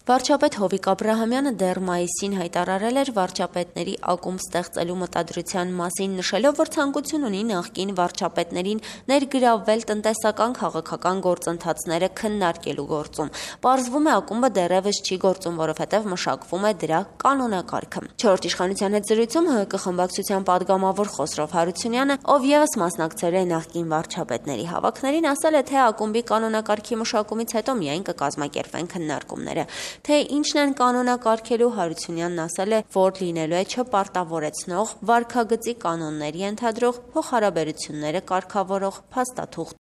Վարչապետ Հովիկ Աբրահամյանը դեռ մայիսին հայտարարել էր վարչապետների ակումբ ստեղծելու մտադրության մասին, նշելով, որ ցանկություն ունի նախկին վարչապետներին ներգրավվել տնտեսական քաղաքական գործընթացները քննարկելու գործում։ Պարզվում է, ակումբը դեռևս չի գործում, որովհետև մշակվում է դրա կանոնակարգը։ Չորրորդ իշխանության հետ զրույցում ՀՀԿ խմբակցության падգամավոր Խոսրով Հարությունյանը, ով ևս մասնակցել է նախկին վարչապետների հավաքներին, ասել է, թե ակումբի կանոնակարգի մշակումից հետո միայն կկազմակերպվեն քննարկումները։ Թե ինչն են կանոնակարգելու, Հարությունյանն ասել է, որ լինելու է չպարտավորեցնող, վարքագծի կանոններ ենթադրող, փոխհարաբերությունները կարգավորող փաստաթուղթ։